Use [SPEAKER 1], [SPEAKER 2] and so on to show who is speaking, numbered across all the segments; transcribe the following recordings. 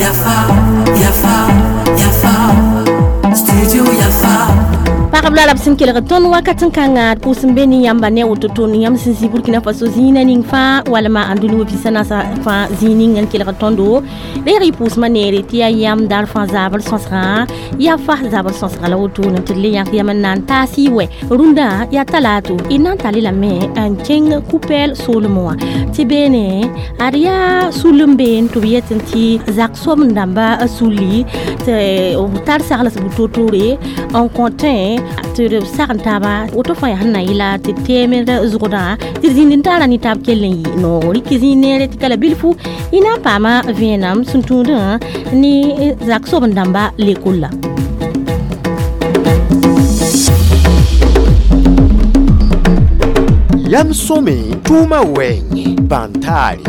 [SPEAKER 1] Yafa, Yafa, Yafa, Studio Yafa.
[SPEAKER 2] Pagb la b sẽn kelg tõnd wakat n kãnga pʋʋs n be ne yãmba ne woto tõnd yãmb sẽn zĩ Burkina Faso zĩigã ning fãa walma ãndũni wã pisa naasa fãa zĩig ning n kelg tõndo reeg y pʋʋsmã neere tɩ yaa yãmb daar fãa zabr sõsgã yaa fa zabr sõsga la wotone tɩ d le yãk yam n na n taas y wɛ rũndã yaa talato y na n tall lame n kẽng kupɛɛl soolmẽ wã tɩ beene ad yaa sul n been tɩ b yetẽ tɩ zak sobend dãmba sulli tɩ b tar sagls bu-toor-toore n kõ tẽ tɩ d sagn taaba woto fãa yaa sẽn na yɩla tɩ teemd zʋgdã tɩ d zĩnd n taara ne taab kell n yɩ noogo rɩk zĩig neere tɩ ka la bilfu y na n paama vẽenam sẽn tũudã ne zak sobend dãmba lekolla.
[SPEAKER 3] Yam sõme tʋʋmã wɛɛngẽ bãn-taare.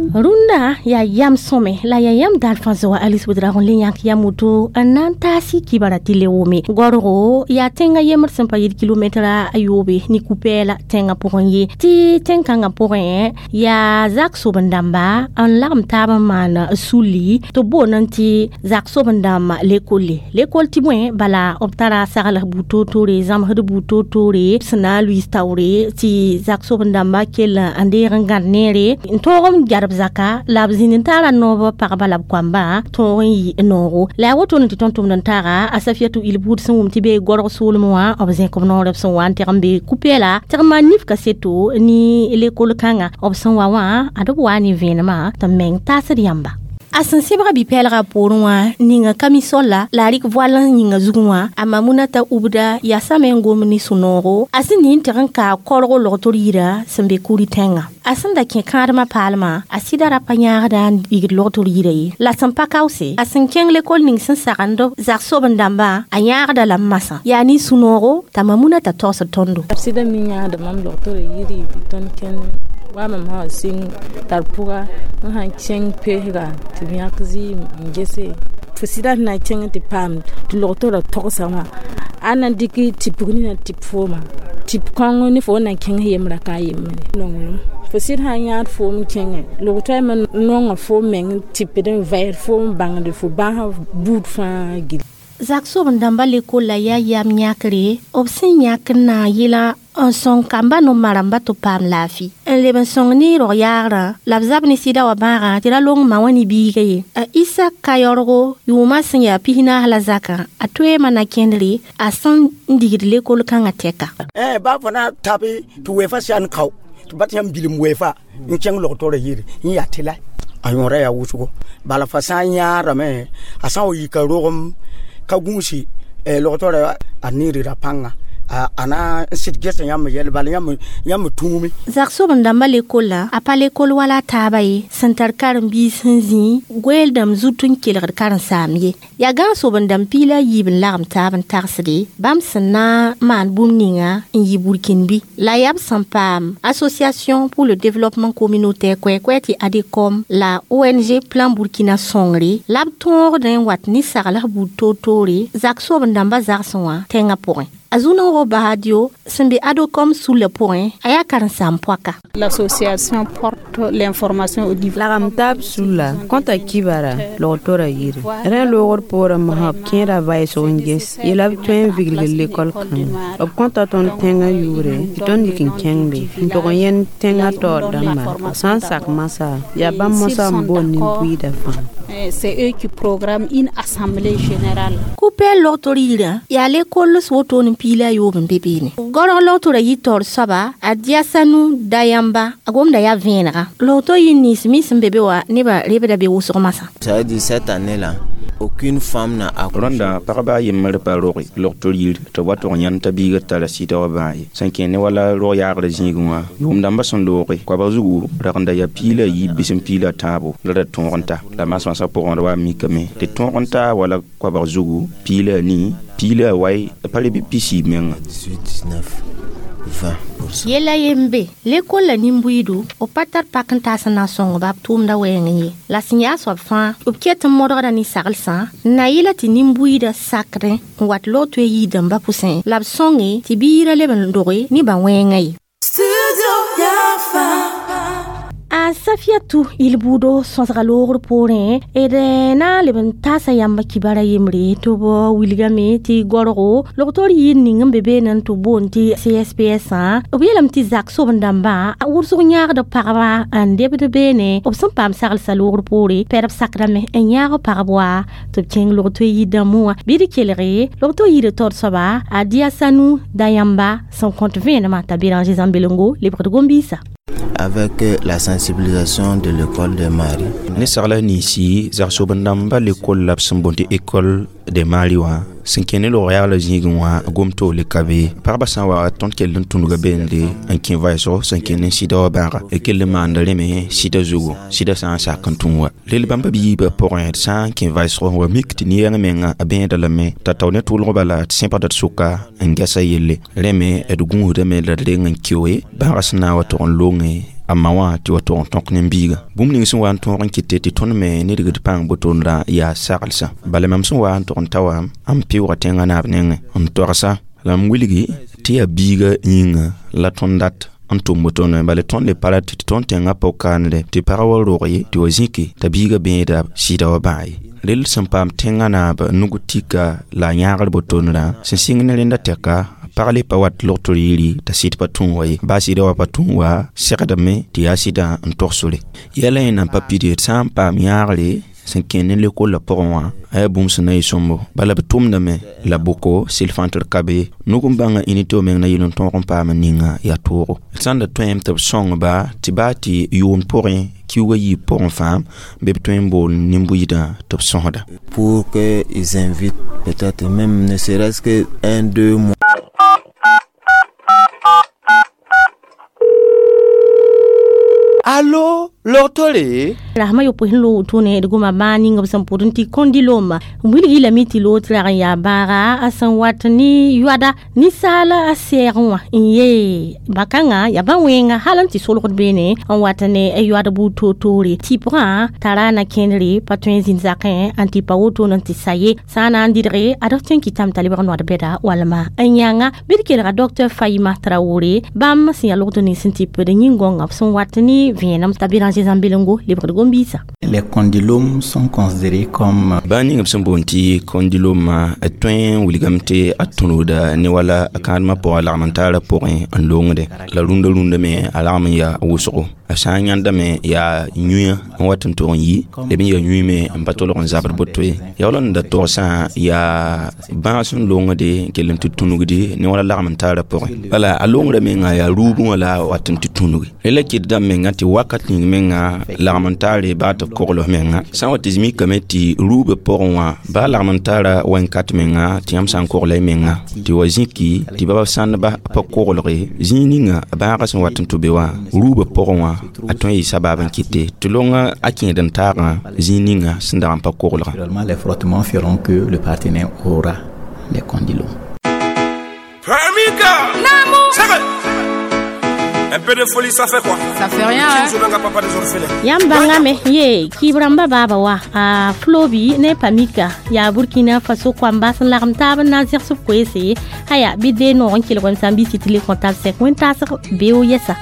[SPEAKER 2] Rũndã yaa yam sõme la yaa yãmb daar fãa zoa Alice Ouedraogo n le yãk yam woto n na n taas y kibara tɩ le wʋme gorgo yaa tẽngã yembr sẽn pa yɩɩd kilomɛtra a yoobe ne ku-pɛɛla tẽngã pʋgẽ ye tɩ tẽn-kãngã pʋgẽ yaa zak sobend dãmba n lagem taab n maan sulli tɩ b boond tɩ zak sobend dãmb lekolle lekol tɩ bõe bala b tara sagls buud toor-toore zãmsd buud toor-toore sẽn na n luiis taoore tɩ zak sobend dãmba kell n deeg n gãd neere n tõog n gerb zaka la b zĩnd n taara noob pagba la b koamba tõog n yɩ noogo la yaa wotone tɩ tõnd tʋmd n taaga a Safiatou Il buud sẽn wʋm tɩ bee gorg soolmẽ wã b zẽk b noor b sẽn wa n tɩg n be ku-pɛɛla tɩg n maan nif kaseto ne lekol kãnga b sẽn wa wã ad b waa ne vẽenemã tɩ meng taasd yãmba. A sẽn sebga bi-pɛɛlgã poorẽ wã ninga kamisolla la a rɩk voal n yĩnga zugẽ wã a Mamunata Ubda yaa same n gom ne sũ-noogo a sẽn ning tɩg n kaa korgo logtr yirã sẽn be kuri tẽngã a sẽn da kẽ kãadmã paalmã a sɩda ra pa yãagda n igd logtr yirã ye la sẽn pa kaoose a sẽn kẽng lekol ning sẽn sagend zak sobend dãmbã a yãagda la masã yaa ne sũ-noogo t'a Mamunata tagsd tõndo.
[SPEAKER 4] Sɩda me yãagda mam logtorã yiri tɩ tõnd kẽnd wa mam sã wa sɩng tar pʋga n sãn kẽng pesga tɩ b yãk zɩɩm n gese fo sɩda sẽn na n kẽng tɩ paam tɩ logtorã togsa wã a na n dɩk tɩpg nina tɩp fooma tɩp kõng ne fo na n kẽng yembrã ka a yembre nonglem fo sɩd sã n yãad foom kẽngẽ logtoa me nonga foom meng tɩpd n vɛɛs foom bãngd fo bãs buud fãa gill.
[SPEAKER 2] Zak sobend dãmba lekolla yaa yam yãkre b sẽn yãk n na n yɩla n sõng kamba no-maramba tɩ b paam laafɩ n leb n sõng ne rog yaagrã la b zab ne sɩda wã bãagã tɩ ra long ma wã ne biiga ye a Isa Kayɔrgo yʋʋmã sẽn yaa 14 la zakã a toeemã na kẽndre a sẽn n digd lekol kãngã tɛka.
[SPEAKER 5] Ba fo na tabe tɩ wefa sãn kao tɩ bat yãmb bilem wefa n kẽng logtorã yiri n yaa tɩ la a yõora yaa wʋsgo bala fa sã n yãadame a sã n wa yika rogem ka gũusi logtorã a neerera pãnga a na n sɩd gesa yãmb yɛl bala yãmb tũume.
[SPEAKER 2] Zak sobend dãmbã lekolla a pa lekol wala a taaba ye sẽn tar karen-biis sẽn zĩ goeeldãmb zut n kelgd karen-saam ye yaa gãag sobend dãmb piig la a yiib n lagem taab n tagsde bãmb sẽn na n maan bũmb ninga n yɩ burkĩnbi la yaa b sẽn paam Association pour le développement communautaire koɛɛ-koɛɛ tɩ ADECOM la ONG Plan Burkina sõngre la b tõogd n wat ne sagls buud toor-toore zak sobend dãmbã zagsẽ wã tẽngã pʋgẽ. A Zunoro Bahadio sẽn be ADECOM sulla pʋgẽ a yaa karen-saam poaka.
[SPEAKER 6] L'association porte l'information au niveau.
[SPEAKER 7] Lagam taab sulla kõta kibara logtorã yiri rẽ loogd poorẽ masã b kẽeda vaɩsg n ges yela b tõe n viglg lekol kãnga b kõta tõnd tẽngã yʋʋre tɩ tõnd yik n kẽng be n tog n yẽnd tẽngã taoor dãmba b sã n sak masã yaa bãmb mosã n boond nin-buiidã fãa.
[SPEAKER 6] C'est eux qui programment une assemblée générale.
[SPEAKER 2] Ku-pɛɛl logtor yirã yaa lekols wotone n piig la a yoob n be beene gorg logtorã yɩ taoor soaba a Diasanu Dayamba a gomda yaa vẽenega logto yɩ nins me sẽn be be wã nebã rebda be wʋsg masã.
[SPEAKER 8] Ça veut dire cette année-là, aucune femme n'a accouché.
[SPEAKER 9] Rõnda pagba a yembr pa roge logtr yir tɩ b wa tʋg yãnd t'a biigr tara sɩda wã bãag ye sẽn kẽ ne wala rog yaagr zĩigẽ wã yʋʋm dãmbã sẽn looge koabg zugu ragenda yaa piig la yiib bɩ sẽn piig la tãabo la ra tõog n ta la masmasa pʋgẽ d wa mikame tɩ tõog n taa wala koabg zugu piig la a nii piig la a wai pa re bɩ pisiib menga.
[SPEAKER 8] 18, 19, 20%.
[SPEAKER 2] Yɛla yembe lekol la nin-buiidu b pa tar pak n taas n na n sõngba b tʋʋmda wɛɛng ye la sẽn yaa soab fãa b ket n modgda ne saglsã n na yɩla tɩ nin-buiidã sakdẽ n wat log tõe yii dãmbã pʋsẽ la b sõnge tɩ biirã leb n doge ne ba wɛɛngã ye.
[SPEAKER 1] Studio
[SPEAKER 2] Yaa Safiatu Ilbudo sõsga loogr poorẽ d na n leb n taasa yãmba kibara yembre tɩ b wilgame tɩ gorgo logtor yir ning n be beene n tɩ boond tɩ CSPS-ã b yeelame tɩ zak sob-dãmbã wʋsg yãagd pagba n debd beene b sẽn paam saglsa loogr poore pɛdb sakdame n yãag pagb wa tɩ b kẽng logto yir dãmbẽ wã bɩ d kelge logto yir taoor soaba a Diasanu Dayamba sẽn kõt vẽenemã t'a Béranger Zãmbelengo lebgd gom-biisã.
[SPEAKER 8] Avec la sensibilisation de l'école de Marie.
[SPEAKER 9] Ne sagla ninsi zagsob-dãmba l'école la b sẽn boond tɩ école de Mari wã sẽn kẽ ne log yaagla zĩigẽ wã gom-toole ka be pagba sã n wa tõnd kell n tũnuga beende n kẽ vaɛsgo sẽn kẽ ne sɩda wã bãaga d kell n maanda rẽ me sɩda zugu sɩda sã n sak n tũ wa rel bãmba biibã pʋgẽ d sã n kẽ vaɛsgo n wa mik tɩ ne-yɛng menga a bẽeda lame t'a tao ne tʋʋlg bala d sẽbgda d sʋka n gɛsa yelle rẽ me d gũusdame la d reng n keoe bãagã sẽn na n wa tog n longe a ma wã tɩ wa tog n tõk ne biiga bũmb ning sẽn wa n tõog n kɩte tɩ tõnd me nidgd pãng botonda yaa saglsã bala mam sẽn wa n tog n ta wa n pɩʋga tẽngã naab nengẽ n togsa la m wilgi tɩ yaa biiga yĩnga la tõnd dat n tʋm botonẽ bala tõnd le pa rat tɩ tõnd tẽngã pʋg-kaanre tɩ pag wa rog ye tɩ wa zĩke t'a biiga bẽeda sɩda wa bãa ye rel sẽn paam tẽngã naab nug tika la a yãagr botonrã sẽn sɩng ne rẽnda tɛka pag le pa wat logtr yiri t'a sɩd pa tũ wa ye baa sɩda wa pa tũ wa segdame tɩ yaa sɩdã n togsre yɛla yẽ nan pa pid d sã n paam yãagre sẽn kẽ ne lekolla pʋgẽ wã a yaa bũmb sẽn na yɩ sõmbo bala b tʋmdame la bʋko sɩl fãa tɩ d ka be nug n bãnga unité meng na yɩl n tõog n paam ninga yaa toogo d sã n da tõem tɩ b sõngba tɩ baa tɩ yʋʋnd pʋgẽ kiuugã yiib pʋgẽ fãa bɩ b tõe n bool nin-buiidã tɩ b sõsda.
[SPEAKER 8] Pour qu'ils invitent peut-être même ne serait-ce que un, deux mois.
[SPEAKER 3] Allo, logtore?
[SPEAKER 2] Rasmã yopoe sẽn loog wotone d goma bãag ning b sẽn pʋd n tɩ kondiloma wilg lame tɩ loog tɩ rag n yaa bãaga a sẽn wat ne yoada ninsaal a sɛɛgẽ wã n yee bã-kãngã yaa bã-wẽnga hal n tɩ solgd beene n wat ne yoad buud toor-toore tɩpgã tara na kẽndre pa tõe n zĩnd zakẽ n tɩ pa wotone n tɩ sa ye sã n na n dɩdge ad f tõe n kɩtame t'a lebg noad bɛda walma n yãnga bɩ d kelga Dr Fayima Traoré bãmb sẽn yaa logd nins n tɩ d yĩn-gõngã b sẽn wat ne vẽenem t'a Béranger Zãmbelengo lebgd gom-biisã.
[SPEAKER 10] Les condylomes sont considérés comme
[SPEAKER 9] bãa ning b sẽn boond tɩ kondiloma a tõe n wilgame tɩ a tũnugda ne wala a kãadmã pʋgã lagm n taara pʋgẽ n longde la rũndã rũndã me a lagm n yaa wʋsgo a sã n yãndame yaa yũyã n wat n tog n yi leb n yaa yũy me n pa tolg n zabd boto ye yaa wala n da togsã yaa bãag sẽn longde n kell n tɩ tũnugdi ne wala lagm n taara pʋgẽ bala a longrã menga yaa ruubẽ wã la wat n tɩ tũnugi rela kɩt dãmb menga tɩ wakat ning menga lagm n taare baa tɩ b kogl menga sã n wa tɩ mikame tɩ ruubã pʋgẽ wã baa lagm n taara wẽn-kat menga tɩ yãmb sã n kogla y menga tɩ wa zĩki tɩ baba sãndba pa koglge zĩig ninga bãagã sẽn wat n tɩ be wã ruubã pʋgẽ wã a tõe n yɩ sabab n kɩte tɩ longa a kẽed n taagã zĩig ninga sẽn dag n pa koglga.
[SPEAKER 10] Les frottements feront que le partenaire aura les condylomes.
[SPEAKER 11] Pamika!
[SPEAKER 12] Namo!
[SPEAKER 11] Un peu de folie, ça fait quoi?
[SPEAKER 12] Ça fait rien, hein?
[SPEAKER 11] Papa des orphelins.
[SPEAKER 2] Yãmb bãngame ye kɩɩb-rãmbã baaba wa a Flobi ne Pamika yaa Burkina Faso koamba sẽn lagem taab n na n zẽgs b koeese aya bɩ dee noog n kelg wẽm sã n bɩ sɩ tɩ le comptable sɛk wẽn-taasg beo yɛsa.